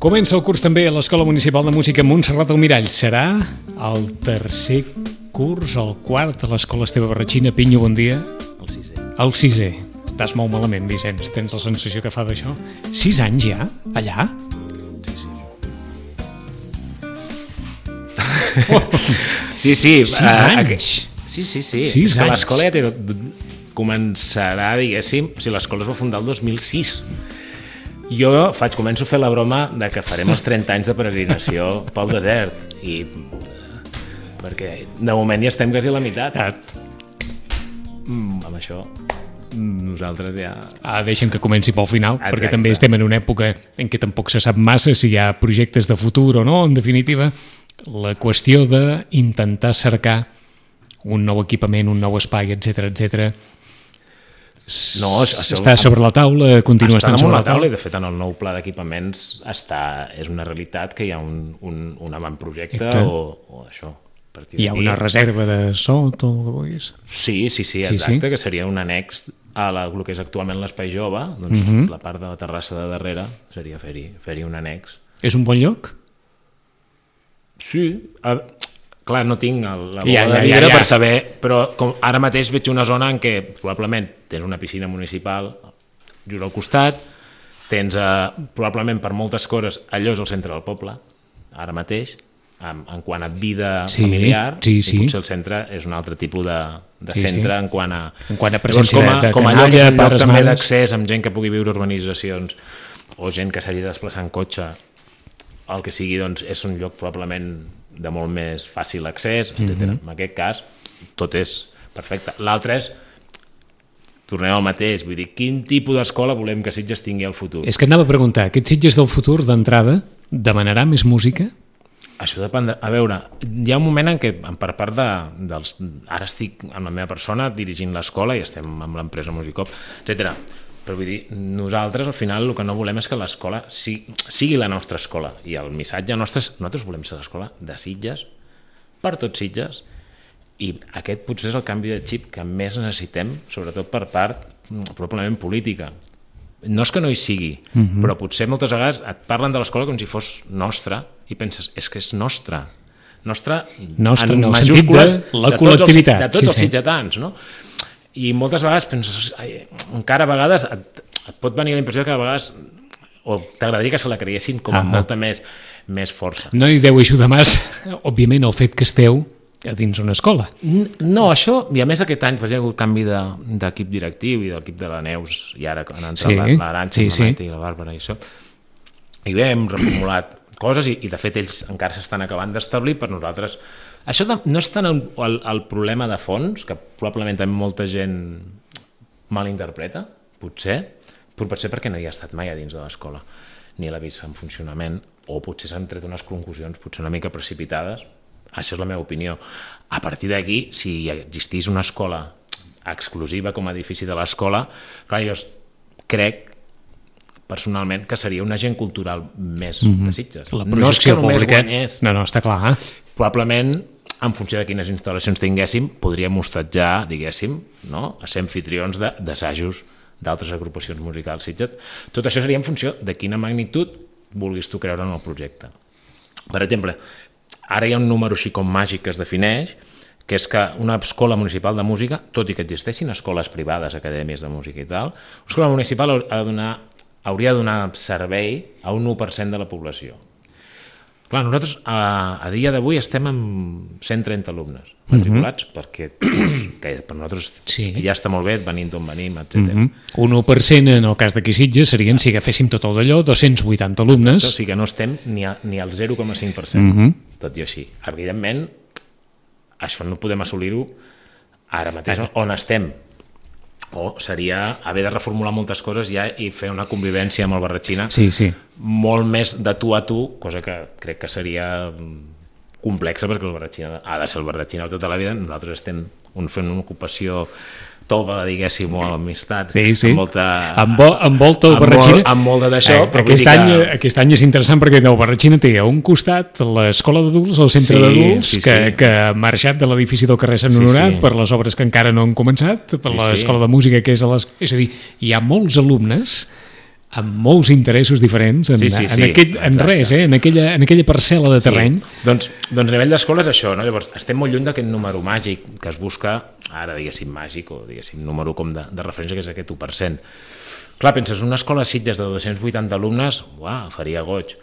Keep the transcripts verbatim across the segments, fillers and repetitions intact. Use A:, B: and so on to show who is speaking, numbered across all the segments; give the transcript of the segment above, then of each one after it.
A: Comença el curs també a l'Escola Municipal de Música Montserrat Almirall. Serà el tercer curs, el quart, a l'Escola Esteve Barratxina. Pinyo, bon dia.
B: El sisè.
A: El sisè. Estàs molt malament, Vicenç. Tens la sensació que fa d'això? Sis anys ja? Allà?
B: Sí, sí. sí, sí.
A: Sis
B: uh,
A: anys?
B: Sí, sí, sí.
A: Sis
B: És que
A: anys.
B: l'escola ja té... començarà, diguéssim... O sigui, l'escola es va fundar el dos mil sis. Jo faig, començo a fer la broma de que farem els trenta anys de peregrinació pel desert. I... perquè de moment ja estem quasi a la meitat. Mm, amb això... nosaltres ja...
A: Ah, deixem que comenci pel final,
B: Exacte.
A: perquè també estem en una època en què tampoc se sap massa si hi ha projectes de futur o no. En definitiva, la qüestió d'intentar cercar un nou equipament, un nou espai, etcètera, etcètera,
B: no, això,
A: està sobre la taula, continua estant sobre la taula.
B: I de fet en el nou pla d'equipaments està, és una realitat que hi ha un, un, un avantprojecte o, o això.
A: Hi ha una reserva de so, tot el que vulguis.
B: Sí, sí, sí, exacte, sí, sí. Que seria un annex a la, el que és actualment l'espai jove, doncs uh-huh. La part de la terrassa de darrere seria fer-hi fer-hi un annex.
A: És un bon lloc?
B: Sí, a, clar, no tinc el, la bola
A: ja, ja,
B: de vidre
A: ja, ja.
B: per saber, però com ara mateix veig una zona en què probablement tens una piscina municipal just al costat, tens eh, probablement per moltes coses, allò és el centre del poble, ara mateix, en, en quant a vida
A: sí,
B: familiar,
A: sí,
B: i
A: sí.
B: potser el centre és un altre tipus de, de
A: sí,
B: centre
A: sí.
B: en quant a...
A: En quant a presència
B: llavors, com a,
A: de, de
B: com a
A: canalla,
B: lloc,
A: pares,
B: també
A: mares...
B: d'accés amb gent que pugui viure urbanitzacions o gent que s'hagi de desplaçar en cotxe, el que sigui, doncs, és un lloc probablement de molt més fàcil accés, etcètera. Mm-hmm. En aquest cas, tot és perfecte. L'altre és, tornem al mateix, vull dir, quin tipus d'escola volem que Sitges tingui al futur?
A: És que anava a preguntar, aquest Sitges del futur, d'entrada, demanarà més música?
B: Això depèn de... A veure, hi ha un moment en què, per part de, dels... Ara estic amb la meva persona dirigint l'escola i estem amb l'empresa Musicop, etcètera. Però vull dir, nosaltres al final el que no volem és que l'escola sigui, sigui la nostra escola, i el missatge nostre és, nosaltres volem ser l'escola de Sitges, per tots Sitges, i aquest potser és el canvi de xip que més necessitem, sobretot per part probablement política. No és que no hi sigui, uh-huh. Però potser moltes vegades et parlen de l'escola com si fos nostra i penses, és que és nostra, nostra,
A: nostra
B: en
A: no,
B: majúscules
A: sentit de la
B: de
A: col·lectivitat,
B: tots els, de tots
A: sí,
B: els
A: sí.
B: sitgetans, no? I moltes vegades penses, ai, encara a vegades et, et pot venir la impressió que a vegades o t'agradaria que se la creiessin com amb ah, molta més, més força.
A: No hi deu ajudar massa, òbviament, el fet que esteu a dins una escola.
B: No, això, i a més aquest any pues, hi ha hagut canvi d'equip de, directiu i de l'equip de la Neus, i ara han entrat sí, l'Arantxa, sí, la Maite sí. I la Bàrbara i això. I bé, hem reformulat coses i, i de fet ells encara s'estan acabant d'establir per nosaltres. Això no és tant el, el, el problema de fons, que probablement també molta gent malinterpreta, potser, però potser perquè no hi ha estat mai a dins de l'escola, ni l'ha vist en funcionament, o potser s'han tret unes conclusions potser una mica precipitades. Això és la meva opinió. A partir d'aquí, si existís una escola exclusiva com a edifici de l'escola, clar, jo crec personalment que seria un agent cultural més mm-hmm. de Sitges.
A: La projecció
B: no és que
A: pública...
B: guanyés.
A: No, no, està clar. Eh?
B: Probablement, en funció de quines instal·lacions tinguéssim, podríem hostatjar, diguéssim, no? A ser anfitrions d'assajos d'altres agrupacions musicals Sitges. Tot això seria en funció de quina magnitud vulguis tu creure en el projecte. Per exemple, ara hi ha un número així com màgic que es defineix, que és que una escola municipal de música, tot i que existeixin escoles privades, acadèmies de música i tal, una escola municipal ha de donar, hauria de donar servei a un u per cent de la població. Clar, nosaltres a, a dia d'avui estem amb cent trenta alumnes matriculats, uh-huh. perquè que per nosaltres sí. Ja està molt bé, venim d'on venim, etcètera.
A: Uh-huh. Un u per cent en el cas d'aquí Sitges serien, si agaféssim tot el d'allò, dos-cents vuitanta alumnes.
B: O sigui que no estem ni, a, ni al zero coma cinc per cent, uh-huh. Tot i així. Evidentment, això no podem assolir-ho ara mateix uh-huh. On estem. O seria haver de reformular moltes coses ja i fer una convivència amb el Barratxina
A: sí, sí.
B: Molt més de tu a tu, cosa que crec que seria complexa perquè el Barratxina ha de ser el Barratxina tota la vida. Nosaltres estem fent una ocupació tova, diguéssim, o amistats,
A: sí, sí.
B: Amb molta...
A: Envol, envolta el Barratxina.
B: Amb, amb molt d'això,
A: eh,
B: però
A: aquest, any,
B: que...
A: aquest any és interessant perquè el Barratxina té a un costat l'escola d'adults, el centre sí, d'adults, sí, sí. que, que ha marxat de l'edifici del carrer Sant Honorat sí, sí. Per les obres que encara no han començat, per sí, l'escola sí. de música que és a les... És a dir, hi ha molts alumnes amb molts interessos diferents en,
B: sí, sí, sí,
A: en, aquell, en res, eh? en, aquella, en aquella parcel·la de terreny.
B: Sí. Doncs, doncs a nivell d'escola és això, no? Llavors estem molt lluny d'aquest número màgic que es busca, ara diguéssim màgic o diguéssim número com de, de referència, que és aquest u per cent. Clar, penses, una escola a Sitges de dos-cents vuitanta alumnes, uah, faria goig,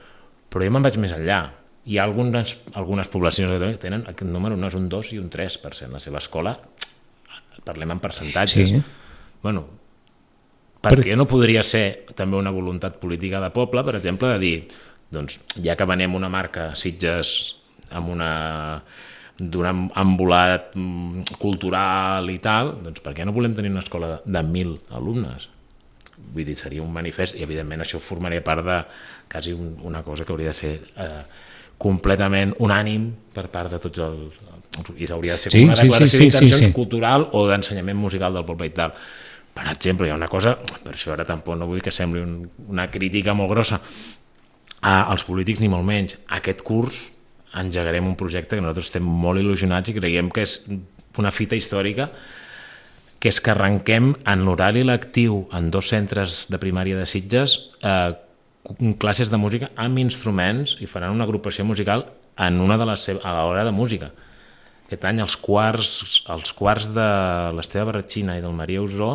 B: però jo me'n vaig més enllà. Hi ha algunes, algunes poblacions que tenen aquest número, no és un dos i un tres per cent. La seva escola, parlem en percentatges.
A: Sí.
B: Bueno, perquè no podria ser també una voluntat política de poble, per exemple, de dir, doncs, ja que venem una marca Sitges amb una d'un embolat cultural i tal, doncs per què no volem tenir una escola de, de mil alumnes? Vull dir, seria un manifest i evidentment això formaria part de quasi un, una cosa que hauria de ser eh, completament unànim per part de tots els... i hauria de ser
A: sí,
B: una declaració
A: sí, sí,
B: d'intencions
A: sí, sí.
B: cultural o d'ensenyament musical del poble i tal. Per exemple, hi ha una cosa, per això ara tampoc no vull que sembli un, una crítica molt grossa a, als polítics ni molt menys. Aquest curs engegarem un projecte que nosaltres estem molt il·lusionats i creiem que és una fita històrica, que és que arrenquem en l'horari lectiu en dos centres de primària de Sitges eh, classes de música amb instruments i faran una agrupació musical en una de les seves, a l'hora de música. Aquest any els quarts, els quarts de l'Esteve Barratxina i del Maria Usó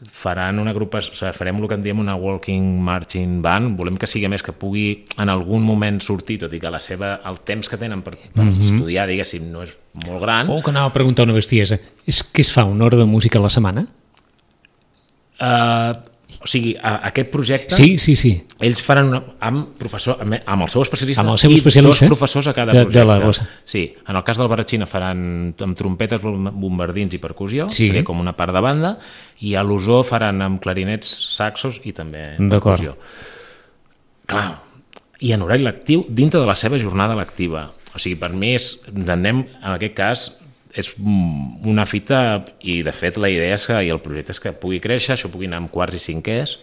B: faran una agrupació, o sigui, farem el que en diem una walking marching band, volem que sigui més que pugui en algun moment sortir, tot i que la seva, el temps que tenen per, per mm-hmm. estudiar, diguéssim, no és molt gran.
A: Oh, que anava a preguntar una bestiesa. És que es fa una hora de música a la setmana?
B: Uh, o sigui, a, aquest projecte...
A: Sí, sí, sí.
B: Ells faran una, amb, professor, amb el seu especialista,
A: amb el seu
B: i
A: especialista,
B: dos professors a cada
A: de,
B: projecte.
A: De la bossa.
B: Sí, en el cas del Barratxina faran amb trompetes, bombardins i percussió,
A: sí.
B: com una part de banda, i a l'Usó faran amb clarinets, saxos i també percussió. Clar, i en horari lectiu dintre de la seva jornada lectiva. O sigui, per mi és, ens anem, en aquest cas, és una fita i de fet la idea és que, i el projecte és que pugui créixer, això pugui anar amb quarts i cinquers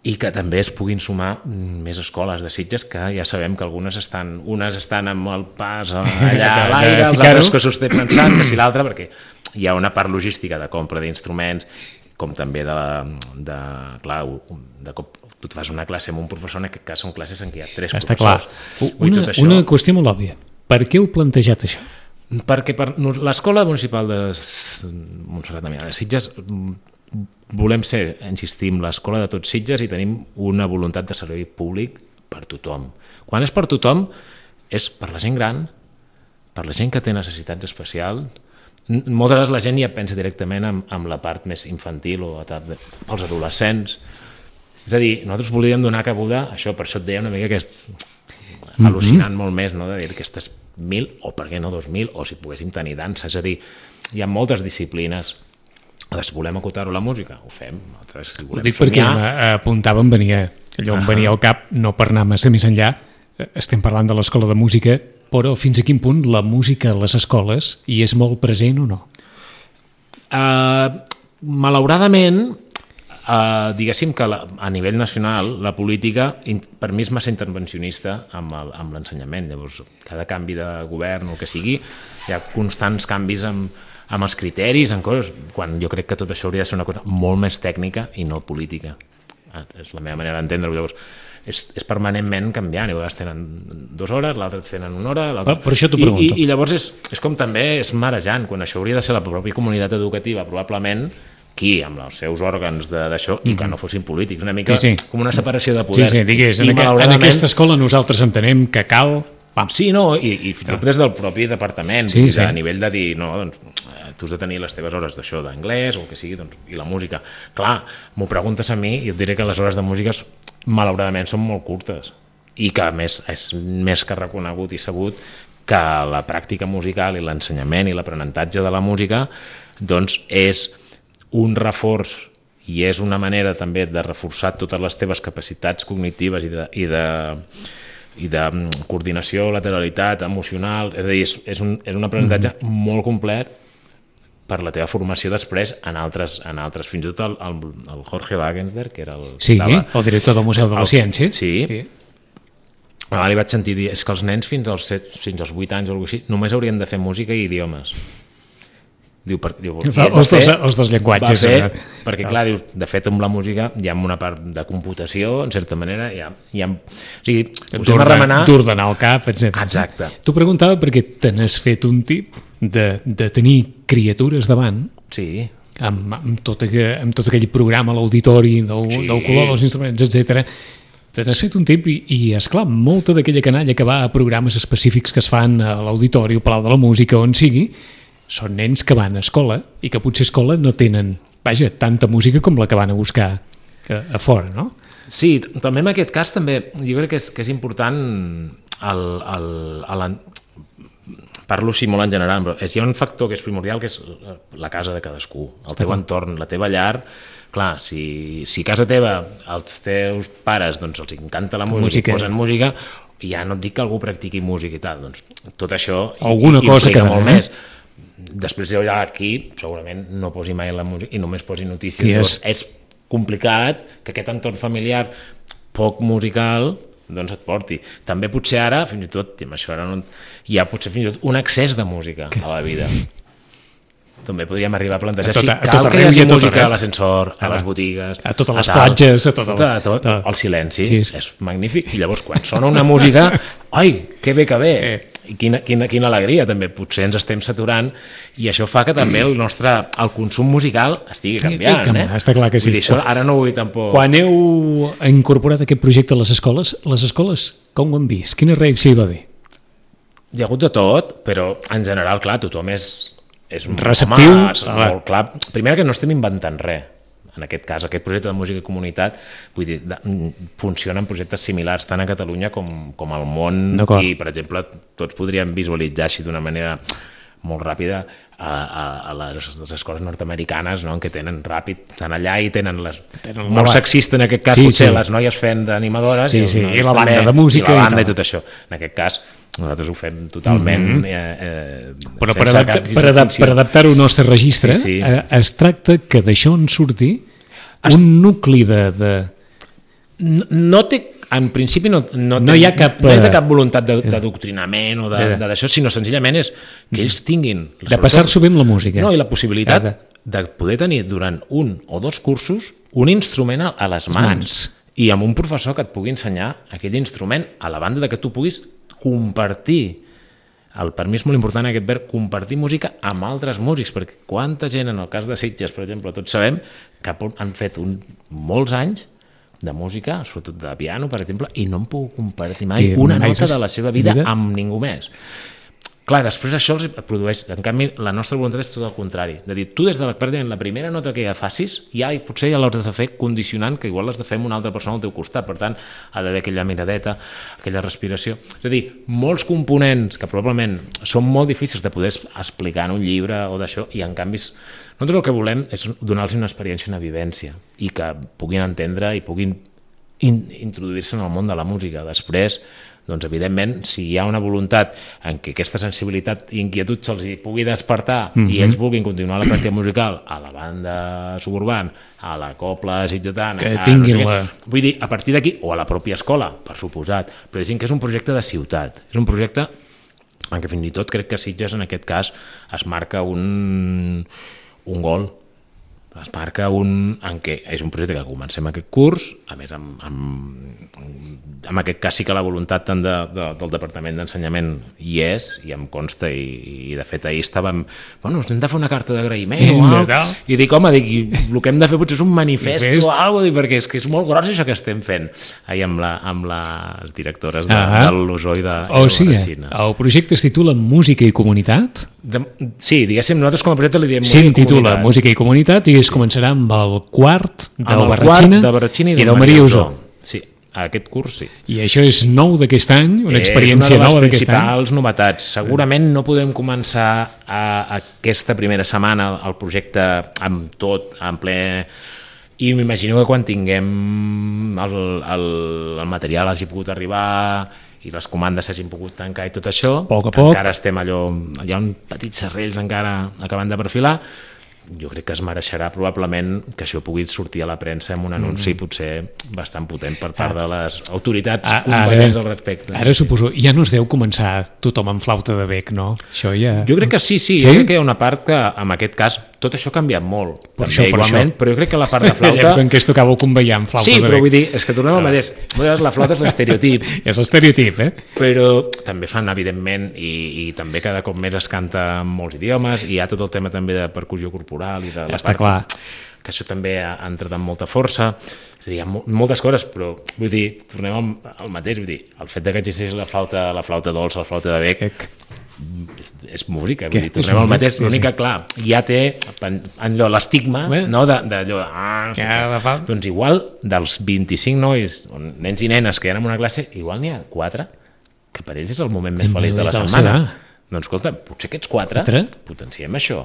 B: i que també es puguin sumar més escoles de Sitges, que ja sabem que algunes estan, unes estan amb el pas allà a l'aire, els altres que s'ho estan pensant, que si l'altre, perquè hi ha una part logística de compra d'instruments, com també de, de clar, de cop tu et fas una classe amb un professor, en aquest cas són classes en què hi ha tres
A: Està
B: professors.
A: Clar. Una, això... una qüestió molt òbvia. Per què heu plantejat això?
B: Perquè per l'Escola Municipal de Montserrat de Milà de Sitges volem ser, insistim, l'escola de tots Sitges i tenim una voluntat de servei públic per tothom. Quan és per tothom, és per la gent gran, per la gent que té necessitats especials. Moltes vegades la gent ja pensa directament amb, amb la part més infantil o pels adolescents. És a dir, nosaltres volíem donar cabuda a això, per això et deia una mica que és al·lucinant mm-hmm. molt més, no? De dir que aquestes mil, o per què no dos mil, o si poguéssim tenir dansa, és a dir, hi ha moltes disciplines. Si volem acotar-ho a la música, ho fem. Altres, si
A: ho dic perquè apuntàvem, venia, allò on venia al cap, no per anar massa més enllà, estem parlant de l'escola de música, però fins a quin punt la música a les escoles hi és molt present o no?
B: Uh, malauradament, Uh, diguéssim que la, a nivell nacional la política in, per mi és massa intervencionista amb, el, amb l'ensenyament. Llavors, cada canvi de govern o el que sigui, hi ha constants canvis amb, amb els criteris, en coses, quan jo crec que tot això hauria de ser una cosa molt més tècnica i no política. Ah, és la meva manera d'entendre-ho. Llavors, és, és permanentment canviant, i a vegades tenen dues hores, l'altre tenen una hora, l'altre...
A: Per això t'ho pregunto.
B: I, i, I llavors és, és com també és marejant, quan això hauria de ser la pròpia comunitat educativa, probablement aquí, amb els seus òrgans d'això, mm-hmm. i que no fossin polítics. Una mica sí, sí. com una separació de poders.
A: Sí, sí, digués, en, aquest, en aquesta escola nosaltres entenem que cal... Pam.
B: Sí, no, i, i fins i tot des del propi departament, sí, sí. A nivell de dir, no, doncs, tu has de tenir les teves hores d'això d'anglès o el que sigui, doncs, i la música. Clar, m'ho preguntes a mi i et diré que les hores de música malauradament són molt curtes i que a més és més que reconegut i sabut que la pràctica musical i l'ensenyament i l'aprenentatge de la música doncs és un reforç i és una manera també de reforçar totes les teves capacitats cognitives i de, i de, i de coordinació, lateralitat, emocional, és a dir, és, és, un, és un aprenentatge mm-hmm. molt complet per la teva formació després en altres, en altres fins i tot el, el, el Jorge Wagensberg, que era el...
A: Sí,
B: estava,
A: el director del Museu de la Ciència.
B: Sí, sí. Ah, li vaig sentir dir, és que els nens fins als, set, fins als vuit anys o alguna cosa així només haurien de fer música i idiomes. Diu, per, diu,
A: els, dos, fer, els dos llenguatges.
B: Fer, perquè, clar, diu, de fet, amb la música hi ha una part de computació, en certa manera, hi ha... Hi ha o sigui, posem a remenar...
A: D'ordenar el cap, etcètera.
B: Exacte.
A: T'ho preguntava perquè te n'has fet un tip de, de tenir criatures davant,
B: sí.
A: amb, amb, tot, amb tot aquell programa, l'auditori, del, sí. del color dels instruments, etcètera. Te n'has fet un tip i, i esclar, molta d'aquella canalla que va a programes específics que es fan a l'auditori, al Palau de la Música, on sigui, són nens que van a escola i que potser a escola no tenen, vaja, tanta música com la que van a buscar a, a fora, no?
B: Sí, també en aquest cas també jo crec que és, que és important el, el, el, parlo així molt en general, però és, hi ha un factor que és primordial, que és la casa de cadascú, el teu entorn, la teva llar. Clar, si, si a casa teva els teus pares doncs, els encanta la música, música. posen música, ja no et dic que algú practiqui música i tal, doncs tot això
A: alguna i, cosa que
B: molt eh? més. Després jo ja aquí segurament no posi mai la música i només posi notícies. És? és complicat que aquest entorn familiar poc musical doncs et porti. També potser ara, fins i tot, amb això ara no, hi ha potser fins i tot un excés de música que? a la vida. També podríem arribar a plantejar a tota, si cal que hi hagi música a l'ascensor, a les botigues,
A: a totes les platges, a tot el...
B: A tot, tot. El silenci sí. és magnífic. I llavors quan sona una música, ai, que bé que bé, eh. i quina, quina, quina alegria també, potser ens estem saturant i això fa que també el nostre el consum musical estigui canviant.
A: I, i,
B: eh?
A: Està clar que sí.
B: Vull dir, això ara no ho vull tampoc...
A: Quan heu incorporat aquest projecte a les escoles, les escoles com ho han vist? Quina reacció hi va haver?
B: Hi ha hagut de tot, però en general, clar, tothom és... és
A: receptiu,
B: home, és molt clar. Primera que no estem inventant res en aquest cas, aquest projecte de música i comunitat vull dir, de, funciona en projectes similars tant a Catalunya com, com al món i per exemple tots podríem visualitzar així d'una manera molt ràpida a, a, a les, les escoles nord-americanes, no? Que tenen ràpid, estan allà i tenen les tenen molt sexista en aquest cas, sí, potser sí. les noies fent d'animadores
A: sí, sí. i la banda també, de música
B: i la banda i, i tot això. En aquest cas nosaltres ho fem totalment mm-hmm. eh, eh,
A: però per, adapta, per, adap, per adaptar-ho al nostre registre sí, sí. Eh, es tracta que d'això en surti es... un nucli de, de...
B: No, no té en principi no, no,
A: no,
B: té,
A: hi ha cap,
B: no hi ha cap voluntat d'adoctrinament o d'això, sinó senzillament és que ells tinguin...
A: De passar-s'ho bé amb la música.
B: No, i la possibilitat de, de poder tenir durant un o dos cursos un instrument a les mans, mans i amb un professor que et pugui ensenyar aquell instrument a la banda de que tu puguis compartir. El per mi és molt important aquest verb, compartir música amb altres músics, perquè quanta gent, en el cas de Sitges, per exemple, tots sabem que han fet un, molts anys de música, sobretot de piano, per exemple, i no em puc compartir mai sí, una nota de la seva vida, vida amb ningú més. Clar, després això els produeix... En canvi, la nostra voluntat és tot el contrari. De dir, tu des de la, la primera nota que ja facis, ja potser ja l'has de fer condicionant, que igual l'has de fer amb una altra persona al teu costat, per tant, ha d'haver aquella miradeta, aquella respiració. És a dir, molts components que probablement són molt difícils de poder explicar en un llibre o d'això, i en canvi nosaltres el que volem és donar-los una experiència, una vivència, i que puguin entendre i puguin in- introduir-se en el món de la música. Després, doncs evidentment, si hi ha una voluntat en què aquesta sensibilitat i inquietud se'ls pugui despertar mm-hmm. i ells vulguin continuar la pràctica musical a la banda suburbana, a la copla sitgetana,
A: que tinguin no sé la...
B: vull dir, a partir d'aquí, o a la pròpia escola, per suposat, però diguem que és un projecte de ciutat, és un projecte en què fins i tot crec que Sitges en aquest cas es marca un, un gol, es marca un, en què és un projecte que comencem aquest curs, a més amb, amb, amb aquest cas sí que la voluntat tant de, de, del Departament d'Ensenyament hi és, i em consta, i, i de fet ahir estàvem, bueno, hem de fer una carta d'agraïment o alguna, i dic, home, dic, el que hem de fer potser és un manifest o alguna cosa, perquè és que és molt gros això que estem fent ahir amb, la, amb les directores de, ah, de l'U S O i de,
A: oh, de la Xina. El projecte es titula Música i Comunitat?
B: De, sí, diguéssim, nosaltres com a projecte li diem
A: sí, Música i Comunitat. Titula Música i Comunitat i es començarà amb el quart del Barratxina
B: i
A: del Maria Usó.
B: Sí, aquest curs sí.
A: I això és nou d'aquest any, una experiència nova d'aquest any. És una de les
B: principals novetats. Segurament no podem començar a, a aquesta primera setmana el projecte amb tot, en ple... I m'imagino que quan tinguem el, el, el material hagi pogut arribar i les comandes s'hagin pogut tancar i tot això,
A: poc a poc.
B: Encara estem allò, hi ha uns petits serrells encara acabant de perfilar, jo crec que es mereixerà probablement que això pugui sortir a la premsa amb un anunci mm. potser bastant potent per part ah. de les autoritats ah, competents al respecte.
A: Ara suposo, ja no es deu començar tothom amb flauta de bec, no? Això ja...
B: Jo crec que sí, sí, sí? Jo crec que hi ha una part que en aquest cas tot això ha canviat molt, per també, això, per igualment, això. Però jo crec que la part de flauta...
A: En què es tocava com veiem flauta
B: sí,
A: de bec.
B: Sí, però vull dir, és que tornem al mateix. La flauta és l'estereotip.
A: És l'estereotip, eh?
B: Però també fan, evidentment, i, i també cada cop més es canta en molts idiomes, i hi ha tot el tema també de percussió corporal i de la
A: ja està clar.
B: Que això també ha entrat amb molta força, és a dir, hi ha moltes coses, però vull dir, tornem al, al mateix, vull dir, el fet de que existeix la flauta, la flauta dolça, la flauta de bec, Ec. és música, vull dir, tornem al mateix, l'únic que, clar, ja té allò, l'estigma, no, d'allò, ah, no sé ja, què. Doncs igual, dels vint-i-cinc nois, nens i nenes que hi ha en una classe, igual n'hi ha quatre, que per ells és el moment més feliç de la setmana. Doncs escolta, potser aquests quatre, potenciem això.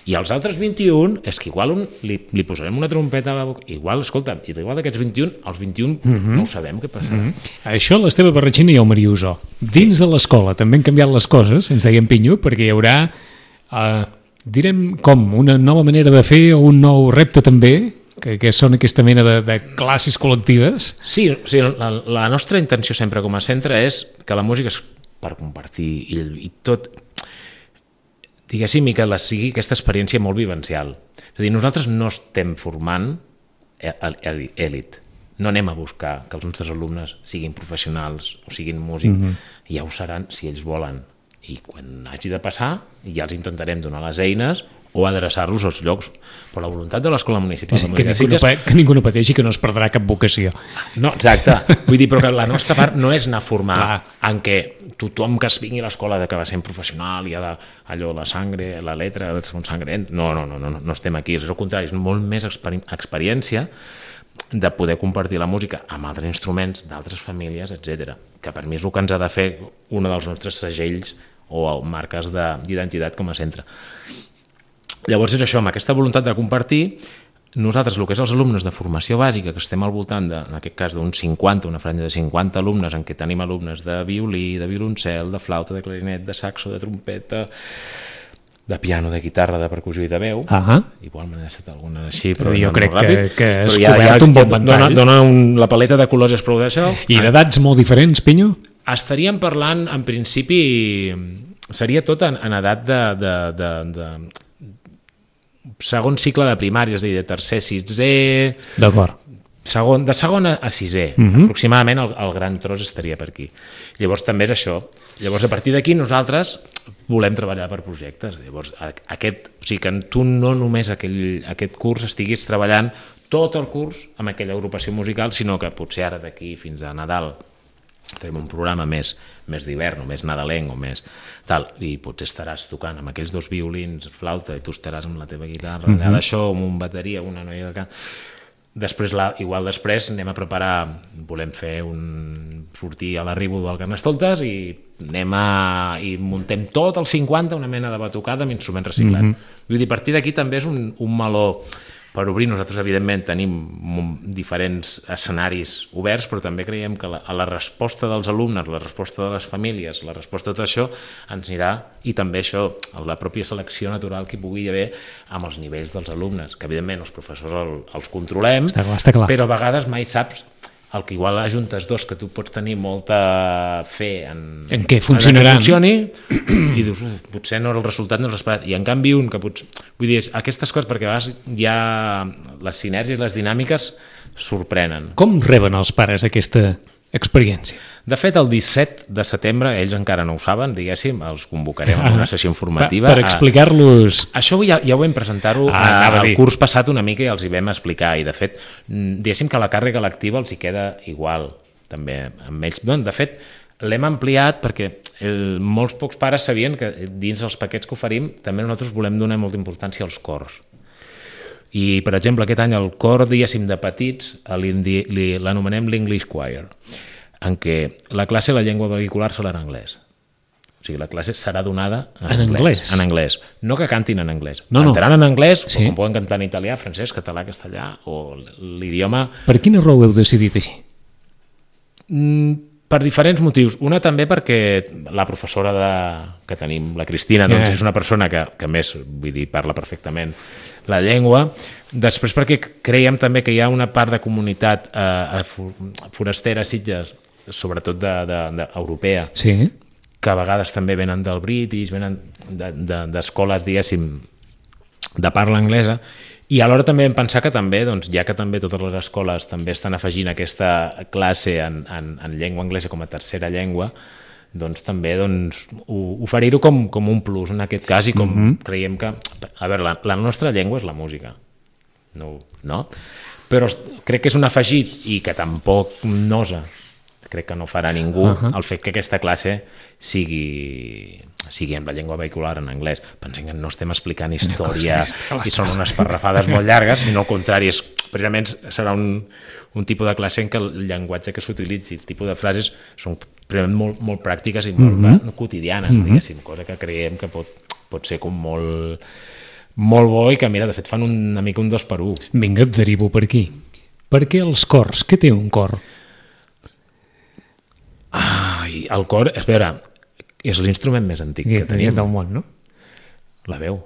B: I els altres vint-i-un, és que igual un, li, li posarem una trompeta a la boca, igual, escolta, igual d'aquests vint-i-un, els vint-i-un mm-hmm. no ho sabem què passarà. Mm-hmm.
A: Això l'Esteve Barratxina i el Mariuso. Dins de l'escola també han canviat les coses, ens deia en Pinyo, perquè hi haurà, eh, direm com, una nova manera de fer o un nou repte també, que, que són aquesta mena de, de classes col·lectives.
B: Sí, sí la, la nostra intenció sempre com a centre és que la música és per compartir i, i tot... diguéssim, i que la sigui aquesta experiència molt vivencial. És a dir, nosaltres no estem formant èlit. No anem a buscar que els nostres alumnes siguin professionals o siguin músics. Mm-hmm. Ja ho seran si ells volen. I quan hagi de passar, ja els intentarem donar les eines o adreçar-los als llocs. Però la voluntat de l'Escola Municipal
A: sí, que, ningú no, que ningú no pateixi, que no es perdrà cap vocació.
B: No, exacte. Vull dir, però que la nostra part no és anar a formar Clar. En què tothom que es vingui a l'escola de que va ser professional i ha de, allò, la sangre, la letra, de ser un sangrent. No, no, no, no, no estem aquí. És el contrari, és molt més experi- experiència de poder compartir la música amb altres instruments, d'altres famílies, etcètera. Que per mi és el que ens ha de fer un dels nostres segells o marques de, d'identitat com a centre. Llavors és això, amb aquesta voluntat de compartir, nosaltres, el que és els alumnes de formació bàsica, que estem al voltant, de, en aquest cas, d'uns cinquanta, una franja de cinquanta alumnes, en què tenim alumnes de violí, de violoncel, de flauta, de clarinet, de saxo, de trompeta, de piano, de guitarra, de percussió i de veu.
A: Uh-huh.
B: Igual m'he deixat alguna així, però
A: jo
B: no,
A: crec
B: no
A: que, que has ja, cobert ja, un bon ventall.
B: Dona, dona un, la paleta de colors és prou d'això.
A: I d'edats molt diferents, Pinyo?
B: Estaríem parlant, en principi, seria tot en, en edat de... de, de, de segon cicle de primària, és a dir, de tercer, sisè...
A: D'acord.
B: Segon, de segon a, a sisè. Uh-huh. Aproximadament el, el gran tros estaria per aquí. Llavors també és això. Llavors a partir d'aquí nosaltres volem treballar per projectes. Llavors aquest, o sigui que tu no només aquell, aquest curs estiguis treballant tot el curs amb aquella agrupació musical, sinó que potser ara d'aquí fins a Nadal tenim un programa més, més d'hivern o més nadalenc o més tal, i potser estaràs tocant amb aquells dos violins, flauta, i tu estaràs amb la teva guitarra, mm-hmm. allà d'això, amb un bateria, una noia de cant. Després, la, igual després anem a preparar, volem fer un sortir a l'arribo del Carnestoltes i anem a, i muntem tot el cinquanta, una mena de batucada amb instruments reciclats. Mm-hmm. Vull dir, a partir d'aquí també és un, un meló per obrir. Nosaltres, evidentment, tenim diferents escenaris oberts, però també creiem que la, a la resposta dels alumnes, la resposta de les famílies, la resposta de tot això, ens anirà, i també això, la pròpia selecció natural que hi pugui haver amb els nivells dels alumnes, que evidentment els professors el, els controlem,
A: està clar, està clar.
B: Però a vegades mai saps el que igual ajuntes dos que tu pots tenir molta fe en,
A: en què funcionaran,
B: en que funcioni, i dius, uh, potser no el resultat no és l'esperat, i en canvi un que pots... Vull dir, aquestes coses, perquè a vegades ja les sinergies, les dinàmiques sorprenen.
A: Com reben els pares aquesta experiència?
B: De fet, el disset de setembre, ells encara no ho saben, diguéssim, els convocarem a una sessió informativa.
A: Per explicar-los...
B: Això ja, ja ho vam presentar-ho ah, al curs passat una mica i els hi vam explicar, i de fet, diguéssim que la càrrega lectiva els hi queda igual, també, amb ells. De fet, l'hem ampliat perquè el, molts pocs pares sabien que dins els paquets que oferim també nosaltres volem donar molta importància als cors. I, per exemple, aquest any el cor, diguéssim, de petits l'anomenem l'English Choir, en què la classe, la llengua vehicular serà en anglès. O sigui, la classe serà donada en,
A: en anglès.
B: anglès. En anglès. No que cantin en anglès.
A: No, no.
B: Cantaran en anglès,
A: sí.
B: Com poden cantar en italià, francès, català, castellà, o l'idioma...
A: Per quina raó heu decidit així?
B: Mm, Per diferents motius. Una també perquè la professora de, que tenim, la Cristina, doncs, yeah. és una persona que, que més, vull dir, parla perfectament la llengua. Després perquè creiem també que hi ha una part de comunitat eh, forastera a Sitges, sobretot de, de, de, europea,
A: sí.
B: que a vegades també venen del British, venen d'escoles, de, de, diguéssim, de parla anglesa, i alhora també vam pensar que també, doncs, ja que també totes les escoles també estan afegint aquesta classe en, en, en llengua anglesa com a tercera llengua, doncs també doncs, oferir-ho com, com un plus en aquest cas, i com mm-hmm. creiem que... A veure, la, la nostra llengua és la música, no, no? Però crec que és un afegit i que tampoc nosa, crec que no farà ningú, uh-huh. el fet que aquesta classe sigui, sigui en la llengua vehicular en anglès. Pensem que no estem explicant història i són unes parrafades molt llargues, sinó al contrari, és, precisament serà un, un tipus de classe en què el llenguatge que s'utilitzi, el tipus de frases són molt, molt pràctiques i molt mm-hmm. quotidianes, mm-hmm. diguéssim, cosa que creiem que pot, pot ser com molt, molt bo i que, mira, de fet fan un, una mica un dos per un.
A: Vinga, et derivo per aquí. Per què els cors? Què té un cor?
B: Ai, el cor, és veure, és l'instrument més antic que tenim.
A: Del món, no?
B: La veu.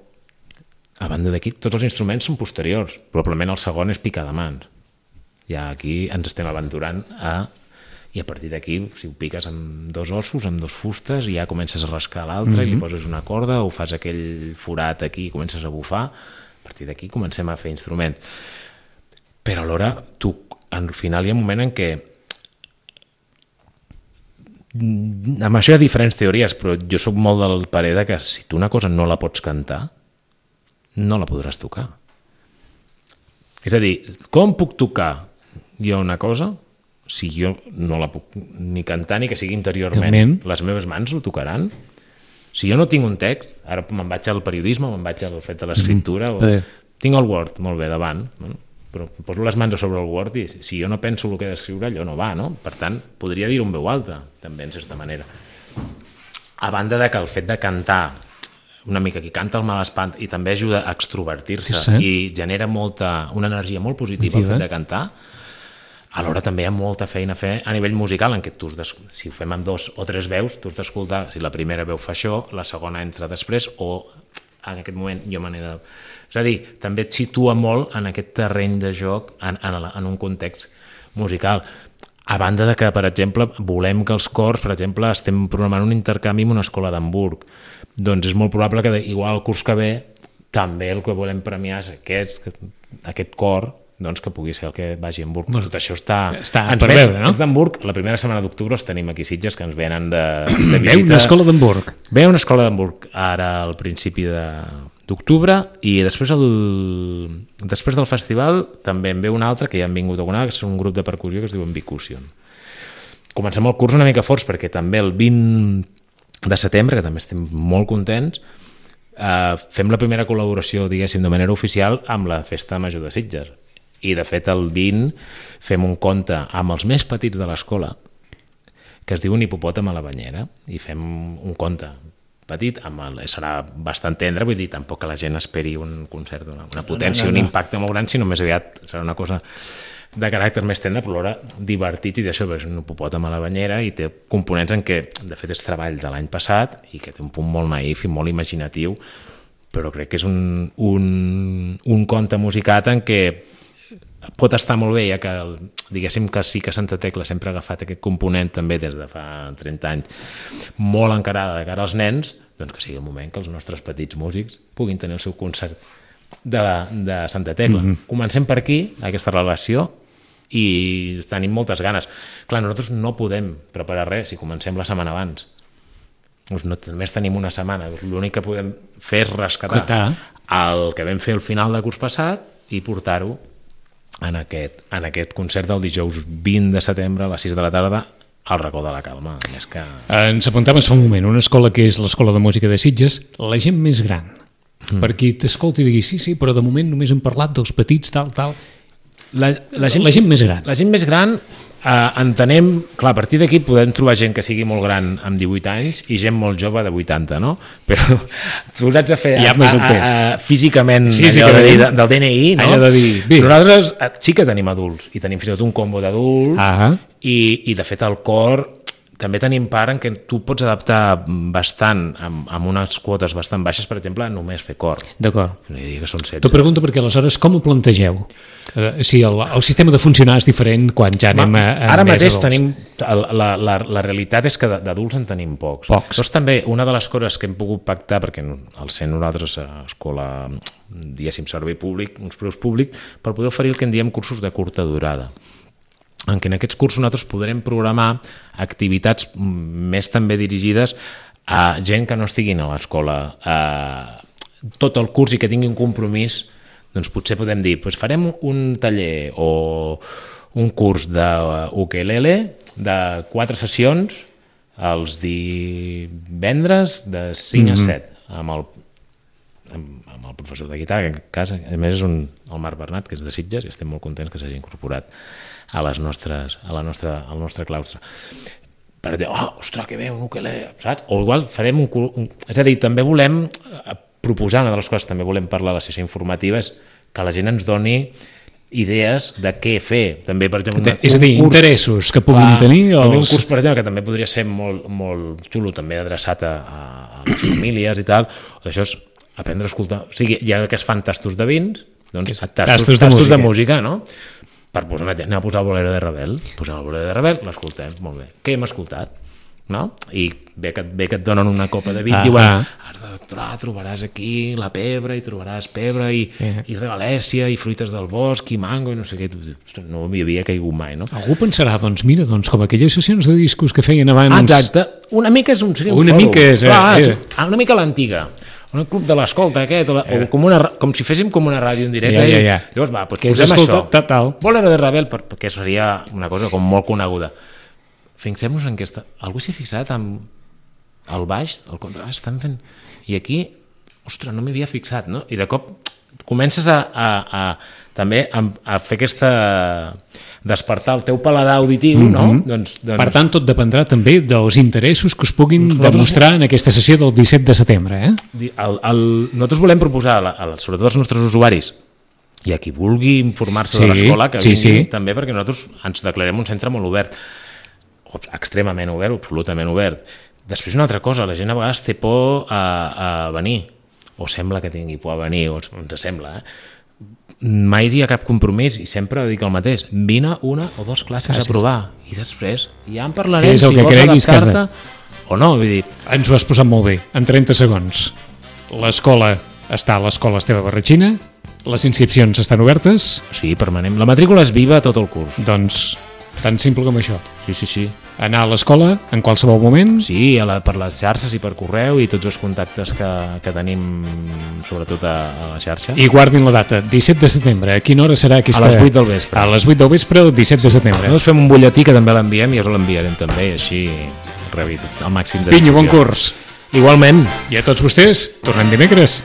B: A banda d'aquí, tots els instruments són posteriors. Probablement el segon és picar de mans. Ja aquí ens estem aventurant a... I a partir d'aquí, si ho piques amb dos ossos, amb dos fustes, i ja comences a rascar l'altre, mm-hmm. i li poses una corda, o fas aquell forat aquí i comences a bufar. A partir d'aquí comencem a fer instruments. Però alhora, tu, al final hi ha un moment en què amb això hi ha diferents teories, però jo soc molt del parer de que si tu una cosa no la pots cantar, no la podràs tocar. És a dir, com puc tocar jo una cosa si jo no la puc ni cantar ni que sigui interiorment?
A: Realment?
B: Les meves mans ho tocaran? Si jo no tinc un text, ara me'n vaig al periodisme, me'n vaig al fet de l'escriptura, mm-hmm. o... tinc el Word, molt bé, davant, no? Però poso les mans a sobre el Word i si jo no penso el que he d'escriure, allò no va, no? Per tant, podria dir-ho en veu alta, també, en certa manera. A banda de que el fet de cantar, una mica qui canta el mal espant, i també ajuda a extrovertir-se, sí, sí. i genera molta, una energia molt positiva el fet de cantar, alhora també hi ha molta feina a fer a nivell musical, en què tu, si ho fem amb dos o tres veus, tu has d'escoltar si la primera veu fa això, la segona entra després, o en aquest moment jo me n'he de... És a dir, també et situa molt en aquest terreny de joc, en, en, en un context musical. A banda de que, per exemple, volem que els cors, per exemple, estem programant un intercanvi amb una escola d'Hamburg. Doncs és molt probable que, igual el curs que ve, també el que volem premiar és aquest, aquest cor, doncs que pugui ser el que vagi a Hamburg. Bueno, tot això està...
A: Està per ven, veure, no?
B: Els d'Hamburg, la primera setmana d'octubre els tenim aquí a Sitges, que ens venen de, de visita.
A: Veu una escola d'Hamburg.
B: Veu una escola d'Hamburg, ara al principi de... d'octubre, i després, el... després del festival també en ve un altre que ja han vingut alguna, que és un grup de percussió que es diu Ambicusion. Comencem el curs una mica forts perquè també el vint de setembre, que també estem molt contents, eh, fem la primera col·laboració, diguéssim, de manera oficial amb la Festa Major de Sitges. I de fet el vint fem un conte amb els més petits de l'escola que es diu Un hipopòtam a la banyera, i fem un conte petit, amb el, serà bastant tendre, vull dir, tampoc que la gent esperi un concert, una, una potència, no, no, no. un impacte molt gran, sinó més aviat serà una cosa de caràcter més tendre, però alhora divertit, i d'això és un hipopòtam a la banyera, i té components en què, de fet, és treball de l'any passat, i que té un punt molt naïf i molt imaginatiu, però crec que és un, un, un conte musicat en què pot estar molt bé, ja que diguéssim que sí que Santa Tecla sempre ha agafat aquest component també des de fa trenta anys molt encarada de cara als nens, doncs que sigui el moment que els nostres petits músics puguin tenir el seu concert de, de Santa Tecla. Mm-hmm. Comencem per aquí, aquesta relació, i tenim moltes ganes. Clar, nosaltres no podem preparar res si comencem la setmana abans. Doncs no, només tenim una setmana. L'únic que podem fer és rescatar Cotà. el que vam fer al final de curs passat i portar-ho en aquest, en aquest concert del dijous vint de setembre a les sis de la tarda al Racó de la Calma. Més que...
A: Ens apuntaves fa un moment, una escola que és l'Escola de Música de Sitges, la gent més gran, mm. per qui t'escolti i digui sí, sí, però de moment només hem parlat dels petits, tal, tal.
B: La, la, gent,
A: la gent més gran.
B: La gent més gran, eh, entenem, clar, a partir d'aquí podem trobar gent que sigui molt gran amb divuit anys i gent molt jove de vuitanta, no? Però tu hauràs de fer
A: ja
B: a, a, a, físicament, físicament. De dir, del D N I, no?
A: Allò de dir,
B: nosaltres sí que tenim adults i tenim fins i tot un combo d'adults,
A: ah.
B: i, i de fet el cor també tenim part en què tu pots adaptar bastant, amb, amb unes quotes bastant baixes, per exemple, només fer cor.
A: D'acord.
B: Que són setze.
A: T'ho pregunto perquè aleshores com ho plantegeu? Uh, si el, el sistema de funcionar és diferent quan ja anem a, a
B: Ara
A: més
B: mateix
A: adults.
B: tenim, la, la, la realitat és que d'adults en tenim pocs.
A: Pocs.
B: Llavors també una de les coses que hem pogut pactar, perquè al ser nosaltres a escola, diguéssim, servei públic, uns preus públics, per poder oferir el que en diem cursos de curta durada, en què en aquests cursos nosaltres podrem programar activitats més també dirigides a gent que no estiguin a l'escola eh, tot el curs i que tingui un compromís, doncs potser podem dir, doncs farem un taller o un curs d'ukelele de quatre sessions els divendres de cinc mm-hmm. a set amb el, amb, amb el professor de guitarra, que en cas, a més és un, el Marc Bernat, que és de Sitges, i estem molt contents que s'hagi incorporat a les nostres, a la nostra, al nostre claustre. Per dir, oh, ostres, que bé, un ukelele, saps? O igual farem un, un... És a dir, també volem proposar, una de les coses que també volem parlar a la sessió informativa és que la gent ens doni idees de què fer. També, per exemple, un,
A: és a dir,
B: un curs,
A: interessos que puguin
B: clar,
A: tenir. Els...
B: Un curs, per exemple, que també podria ser molt, molt xulo, també adreçat a, a les famílies i tal, o d'això és aprendre a escoltar. O sigui, ja que es fan tastos de vins, doncs tastos,
A: tastos, de,
B: tastos
A: música.
B: de música, no? Per posar una, anem a posar el Bolero de Ravel, posem el Bolero de Ravel, l'escoltem, molt bé. Què hem escoltat? No? I bé que, bé que et donen una copa de vi, ah, diuen, ah. has de trobar, trobaràs aquí la pebre, i trobaràs pebre, i, yeah. i regalèssia, i fruites del bosc, i mango, i no sé què. No m'hi havia caigut mai, no?
A: Algú pensarà, doncs mira, doncs com aquelles sessions de discos que feien abans...
B: Exacte, una mica és un, seria un
A: una
B: fòrum.
A: Mica és, eh,
B: Clar,
A: eh.
B: Tu, una mica l'antiga. Un club de l'escolta aquest, o, la, eh. o com, una, com si féssim com una ràdio en directe,
A: ja, ja, ja.
B: i llavors va, doncs
A: que
B: posem
A: escolta,
B: això.
A: Tal.
B: Bolero de Ravel, perquè seria una cosa com molt coneguda. Fixem-nos en aquesta... Algú s'hi ha fixat amb el baix, el contrast, estan fent... I aquí, ostres, no m'hi havia fixat, no? I de cop comences a, a, a també a, a fer aquesta... despertar el teu paladar auditiu, mm-hmm. no? Doncs, doncs...
A: Per tant, tot dependrà també dels interessos que us puguin nosaltres... demostrar en aquesta sessió del disset de setembre, eh?
B: El, el... Nosaltres volem proposar, el, sobretot als nostres usuaris, i a qui vulgui informar-se sí, de l'escola, que
A: sí,
B: vingui
A: sí.
B: també, perquè nosaltres ens declarem un centre molt obert, extremament obert, absolutament obert. Després una altra cosa, la gent a vegades té por a, a venir, o sembla que tingui por a venir, o ens sembla, eh? Mai hi ha cap compromís i sempre dic el mateix, vine una o dues classes Gràcies. a provar i després ja en parlarem si vols adaptar-te de... o no, vull dir...
A: Ens ho has posat molt bé, en trenta segons. L'escola està a l'Escola Esteve Barratxina, les inscripcions estan obertes...
B: Sí, permanent. La matrícula és viva tot el curs.
A: Doncs tan simple com això.
B: Sí, sí, sí.
A: Anar a l'escola en qualsevol moment.
B: Sí, a la, per les xarxes i per correu i tots els contactes que, que tenim sobretot a, a la xarxa.
A: I guardin la data, disset de setembre. A quina hora serà aquesta?
B: A les vuit del vespre.
A: A les vuit del vespre, el disset de setembre.
B: Nosaltres fem un butlletí que també l'enviem i us l'enviarem també, i així rebi el màxim de...
A: Vinyo, bon curs.
B: Igualment.
A: I a tots vostès, tornem dimecres.